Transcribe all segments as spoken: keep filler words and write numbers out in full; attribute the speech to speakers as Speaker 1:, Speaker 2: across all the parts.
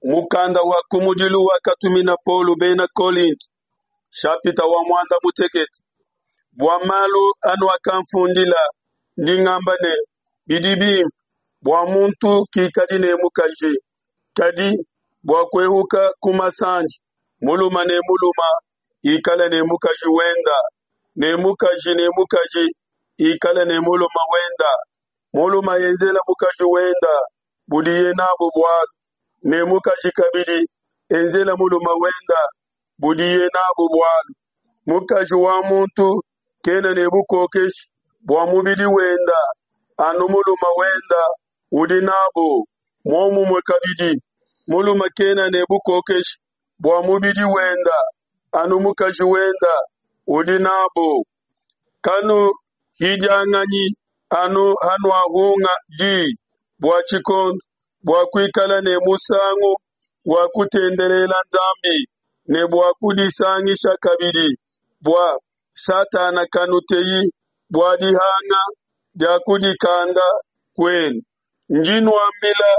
Speaker 1: Mukanda wa kumudilu wakatumina Paulo bena Kolinto, nshapita wa muanda mutekete. Bua malu anuakamfundila, ndi ngamba ne, bidi bimpe bua muntu kikadi ne mukaji. Kadi bua kuehuka ku masandi, mulume ne mulume ikale ne mukaji wende, ne mukaji ne mukaji ikale ne mulume wende. Mulume enzele mukaji wende budiye nabu bualu, ne mukaji kabidi enzele mulume wende budiye nabu bualu. Mukaji wa muntu kena ne bukokeshi bua mubidi wende, anu mulume wende udi nabu. Muomumue kabidi, mulume kena ne bukokeshi bua mubidi wende, anu mukaji wende udi nabu. Kanuhidianganyi anu hanuahunga di bua tshikondo, bua kuikala ne musangu wa kutendelela Nzambi, ne bua kudisangisha kabidi, bua Satana kanuteyi bua dihanga dia kudikanda kuenu. Ndi nuambila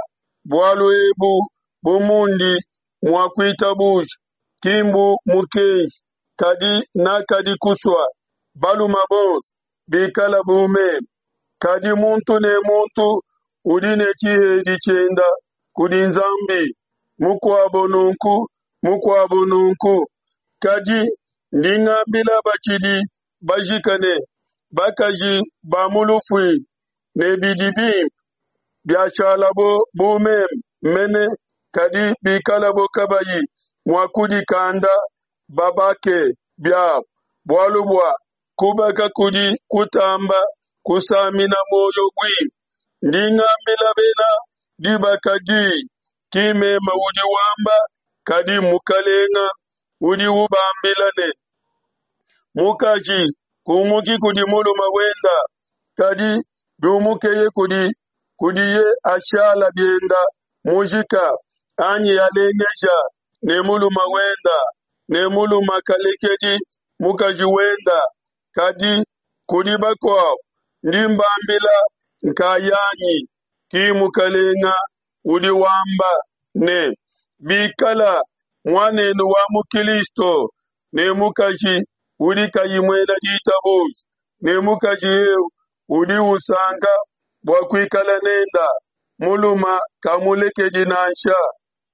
Speaker 1: bualu ebu bu mundi mua kuitabuja, ki mbu mukenji, kadi nakadi kusua balume bonso bikale bu meme. Kadi muntu ne muntu udi ne tshihedi tshiende kudi Nzambi, mukuabo nunku, mukuabo nunku. Kadi ndi ngambila batshidi bajike ne bakaji ba mu lufuila ne bidi bimpe biashalabo bu meme mene, kadi bikalabo kabayi mua kudikanda, babake biabo, bualu bua kubaka kudi kutamba kusamina muoyo buimpe. Ndi ngambila bena dibaka diyi, ki mmeme udi wamba, kadi mMukalenge udi ubambila ne, mukaji kumuki kudi mulume wende, kadi biumukeye kudi kudiye ashala biende mujike, anyi alengeja ne mulume wende, ne mulume kalekedi mukaji wende. Kadi kudi bakuabo ndi mbambila nkayanyi, ki Mukalenge udi wamba ne, bikala muanenu wa mu Kilisto ne mukaji udi kayi muena ditabuja, ne mukaji eu udi usanka bua kuikala nende, mulume kamulekedi nansha.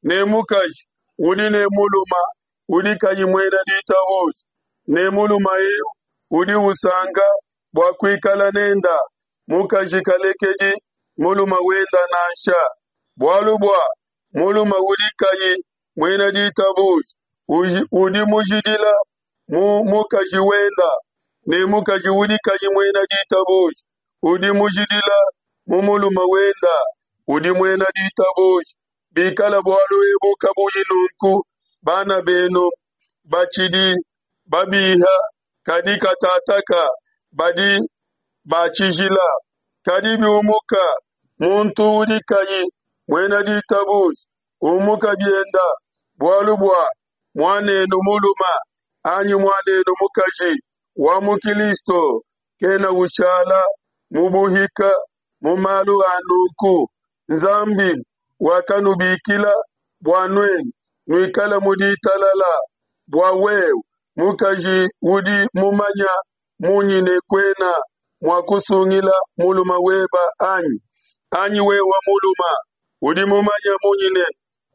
Speaker 1: Ne mukaji udi ne mulume udi kayi muena ditabuja, ne mulume eu udi usanka bua kuikala nende, mukaji kalekedi mulume wende nansha. Bualu bua mulume udi kayi muena ditabuja udi mujidila mu mukaji wende, ne mukaji udi kayi muena ditabuja udi mujidila mu mulume wende udi muena ditabuja. Bikala bualu ebu kabuyi nunku, bana benu batshidi babiha, kadi katataka badi ba tshijila. Kadi biumuka muntu udi kayi muena ditabuja, umuka biende, bualu bua muanenu mulume anyi muanenu mukaji wa mu Kilisto kena ushala mu buhika mu malu a nunku. Nzambi wakanubikila bua nuenu nuikale mu ditalala. Bua wewe mukaji udi mumanye munyi ne kuena mua kusungila mulume webe anyi? Anyi wewe mulume udi mumanye munyi ne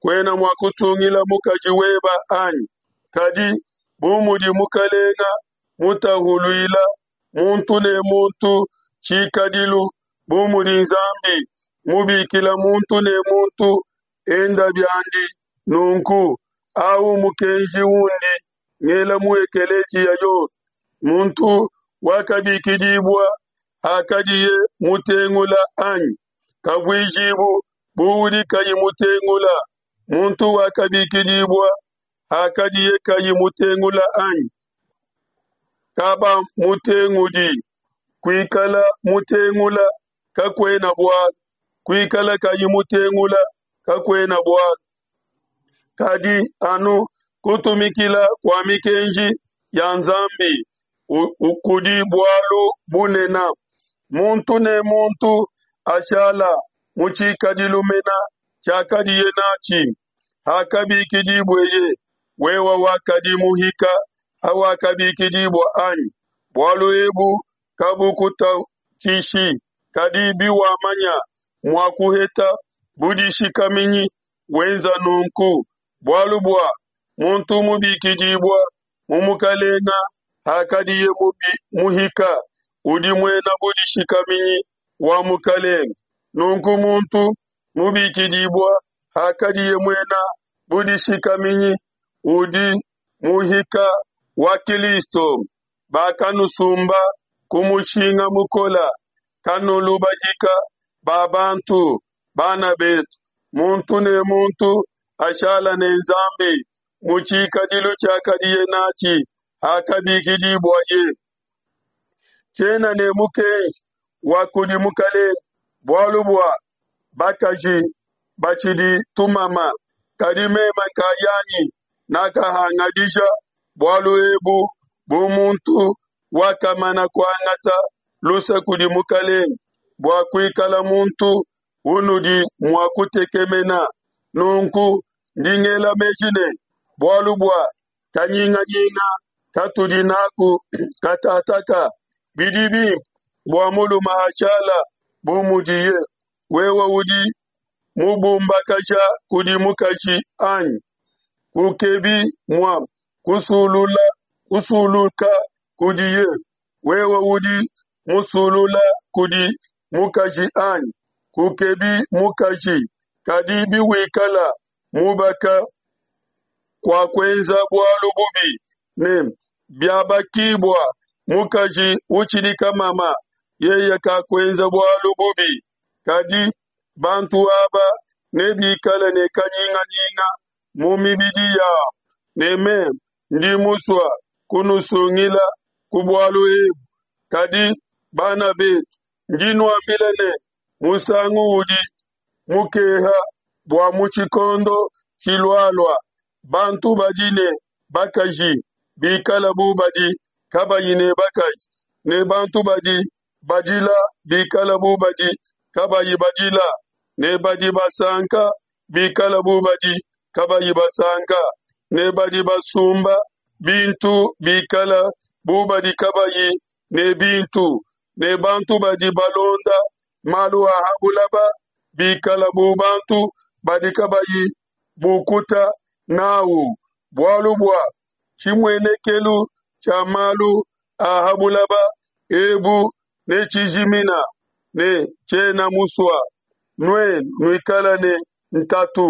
Speaker 1: kuena mua kusungila mukaji webe anyi? Kadi bu mudi Mukalenge mutahuluile muntu ne muntu tshikadilu, bu mudi Nzambi mubikila muntu ne muntu ende biandi nunku, au mukenji undi ngela mu ekeleziya yonso. Muntu wakabikidibua hakadiye mutengula anyi? Kavuijibu bu udi kayi mutengula. Muntu wakabikidibua hakadiye kayi mutengula anyi? Kabamutengudi. Kuikala mutengula kakuena bualu, kuikala kayi mutengula kakuena bualu, kadi anu kutumikila kua mikenji ya Nzambi kudi bualu bunene. Muntu ne muntu ashala mu tshikadilu mene tshiakadiye natshi. Hakabikidibueye? Wewe wakadi muhika hawakabikidibua, anyi? Bualu ebu kabukutatshishi, kadi biwamanya mua kuheta budishikaminyi, wenza nunku. Bualu bua muntu mubikidibua mu Mukelenge hakadiye muhika, udi muena budishikaminyi wa Mukelenge; nunku muntu mubikidibua hakadiye muena budishikaminyi, udi muhika wa Kilisto. Bakanusumba ku mushinga mukole, kanulu bahika ba bantu. Bana betu, muntu ne muntu ashala ne Nzambi mu tshikadilu tshiakadiye natshi hakabikidibuaye. Tshiena ne mukenji wa kudi Mukelenge bualu bua bakaji batshidi tumama, kadi meme nkayanyi nakahangadija bualu ebu bu muntu wakamana kuangata luse kudi Mukelenge bua kuikala muntu unudi mua kutekemena. Nunku ndi ngela meji ne, bualu bua kanyinganyinga katudi naku katataka, bidi bimpe bua mulume ashala bu mudiye. Wewe udi mubumbakaja kudi mukaji, anyi? Kukebi mua kusulula kusuluka kudiye. Wewe udi musulula kudi mukaji, anyi? Kukebi mukaji. Kadi biwikala mubaka, kuakuenza bualu bubi, ne biabakibua mukaji utshidi kamama, yeye kakuenza bualu bubi. Kadi bantu aba nebikale ne kanyinganyinga mu mibidi yabo, ne meme ndi musue kunusungila ku bualu ebu. Kadi bana betu, ndi nuambila ne, musangu udi mukeha bua mu tshikondo tshilualua bantu badi ne bakaji bikala bu badi kabayi ne bakaji, ne bantu badi badila bikala bu badi kabayi badila, ne badi basanka bikala bu badi kabayi basanka, ne badi basumba bintu bikala bu badi kabayi ne bintu, ne bantu badi balonda malu a ha buloba bikala bu bantu badi kabayi bukuta n'au. Bualu bua tshimuenekelu tshia malu a ha buloba ebu netshijimina, ne tshiena musue nuenu nuikala ne ntatu.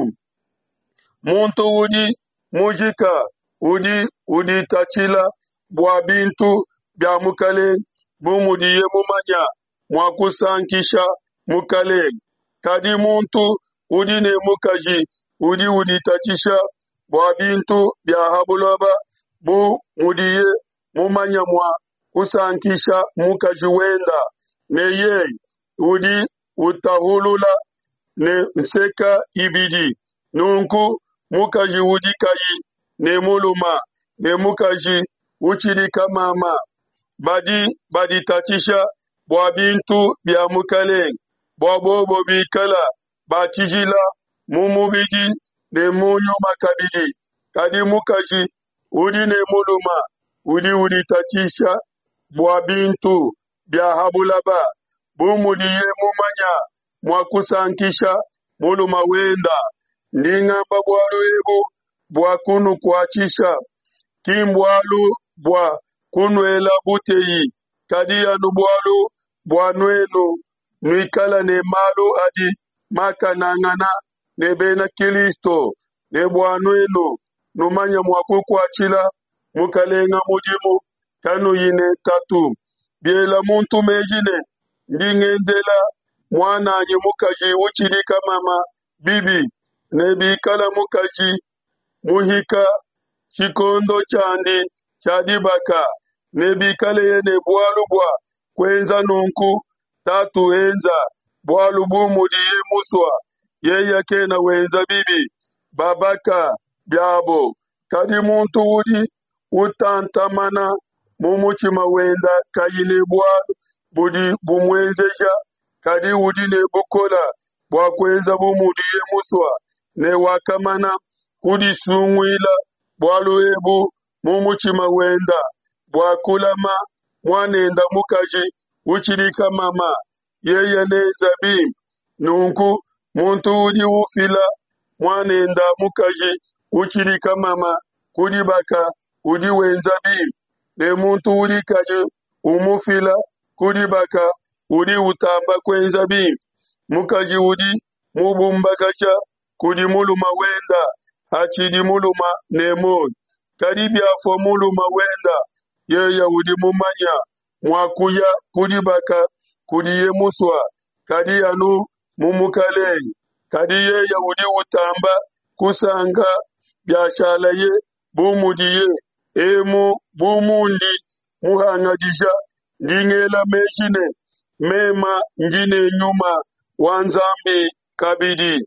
Speaker 1: Muntu udi mujika udi uditatshila bua bintu bia Mukelenge, bu mudiye mumanye mua kusankisha Mukelenge. Kadi muntu udi ne mukaji udi uditatshisha bua bintu bia ha buloba, bu mudiye mumanye mua kusankisha mukaji wenda, ne yeye udi utahulula ne nseka ibidi. Nunku mukaji udi kayi ne mulume ne mukaji utshidi kamama badi baditatshisha bua bintu bia Mukelenge, bua bobo bikala ba tshijila mu mubidi ne mu nyuma kabidi. Kadi mukaji udi ne mulume udi uditatshisha bua bintu bia ha buloba, bu mudiye mumanye mua kusankisha mulume wenda. Ndi ngamba bualu ebu bua kunukuatshisha, ki mbualu bua kunuela buteyi, kadi anu bualu bua nuenu nuikala ne malu adi makanangana ne bena Kilisto, ne bua nuenu numanye mua kukuatshila Mukelenge mudimu kanuyi ne ntatu. Biela muntu meji ne, ndi ngenzela muan'anyi mukaji utshidi kamama bibi, ne bikala mukaji muhika tshikondo tshiandi tshia dibaka, ne bikaleye ne bualu bua kuenza nunku, tatu enza bualu bu mudiye musue, yeye kena wenza bibi, babaka biabo. Kadi muntu udi utantamana mu mutshima wenda kayi ne bualu budi bumuenzeja, kadi udi ne bukole bua kuenza bu mudiye musue, ne wakamana kudisunguila bualu ebu mu mutshima wenda, bua kulama muanenda mukaji utshidi kamama, yeya nenza bimpe. Nunku muntu udi ufila muanenda mukaji utshidi kamama ku dibaka udi wenza bimpe, ne muntu udi kayi umufila ku dibaka udi utamba kuenza bimpe. Mukaji udi mubumbakaja kudi mulume wende hatshidi mulume ne muoyo, kadi biafua mulume wende, yeye udi mumanye mua kuya ku dibaka kudiye musue, kadi anu mu Mukalenge. Kadi yeye udi utamba kusanka biashalaye bu mudiye. Emu bu mundi muhangadija, ndi ngela meji ne, meme ndi ne nyuma wa Nzambi kabidi.